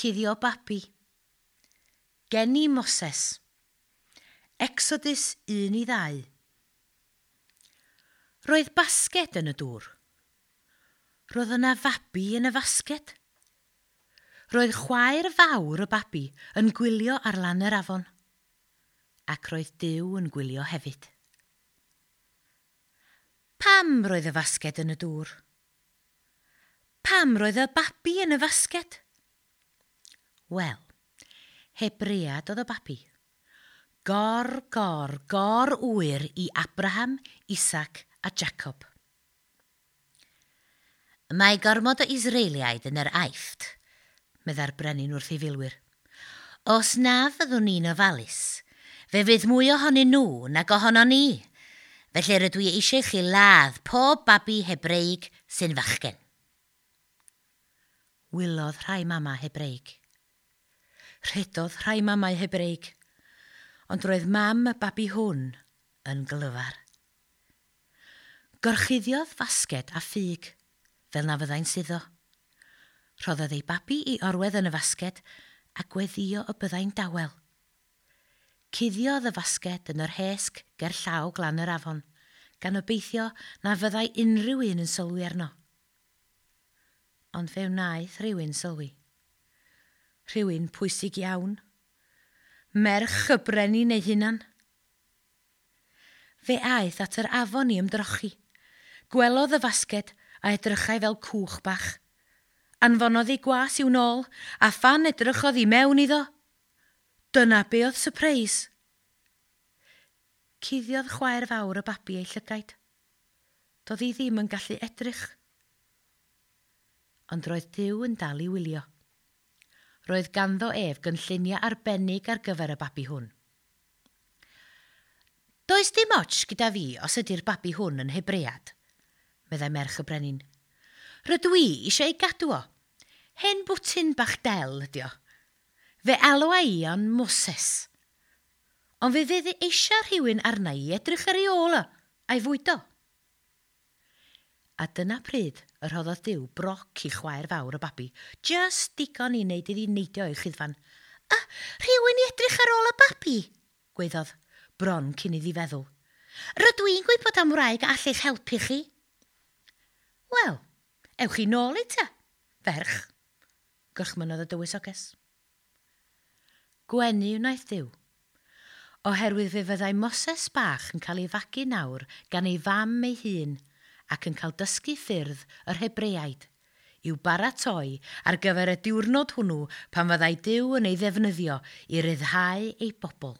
Cuddio babi. Geni Moses. Exodus 1-2. Roedd basged yn y dŵr. Roedd yna fabi yn y fasged. Roedd chwaer fawr y babi yn gwylio ar lan yr afon. Ac roedd Duw yn gwylio hefyd. Pam roedd y fasged yn y dŵr? Pam roedd y babi yn y fasged? Wel, Hebread oedd y babi. Gor, gor, gor ŵyr i Abraham, Isaac a Jacob. Mae gormod o Israeliaid yn yr Aifft, meddai'r brenin wrth ei filwyr. Os na fyddwn ni'n ofalus, fe fydd mwy ohonyn nhw nag ohonon ni. Felly rydw i eisiau chi ladd pob babi Hebreig sy'n fachgen. Wylodd rhai mama Hebreig. Rhedodd rhai mamau Hebreig, ond roedd mam y babi hwn yn glyfar. Gorchuddiodd fasged a ffug, fel na fyddai'n suddo. Rhoddodd ei babi i orwedd yn y fasged a gweddio y byddai'n dawel. Cuddiodd y fasged yn yr hesg ger llaw glan yr afon, gan obeithio na fyddai unrhyw un yn sylwi arno. Ond fe wnaeth rhywun sylwi. Rhywun pwysig iawn. Merch y brenin ei hunan. Fe aeth at yr afon i ymdrochi. Gwelodd y fasged a edrychai fel cwch bach. Anfonodd ei gwas i'w nôl, a phan edrychodd i mewn iddo, dyna be oedd sypreis. Cuddiodd chwaer fawr y babi ei llygaid. Doedd hi ddim yn gallu edrych. Ond roedd Duw yn dal i wylio. Roedd ganddo ef gynlluniau arbennig ar gyfer y babi hwn. Does dim ots gyda fi os ydy'r babi hwn yn Hebread, meddai merch y brenin. Rydw i eisiau ei gadw o. Hen bwtyn bach del ydi o. Fe alwa i o'n Moses. Ond fe fydd eisiau rhywun arna i edrych ar ei ôl o, a'i fwydo. A dyna pryd y rhoddodd Duw broc i chwaer fawr y babi, jyst digon i wneud iddi neidio o'i chuddfan. A, rhywun i edrych ar ôl y babi, gwaeddodd, bron cyn iddi feddwl. Rydw i'n gwybod am wraig a all eich helpu chi. Wel, ewch i nôl i ta, ferch, gorchmynnodd y dywysoges. Gwenu wnaeth Duw, oherwydd fe fyddai Moses bach yn cael ei fagu nawr gan ei fam ei hun ac yn cael dysgu ffyrdd yr Hebreaid i'w baratoi ar gyfer y diwrnod hwnnw pan fyddai Duw yn ei ddefnyddio i ryddhau ei bobl.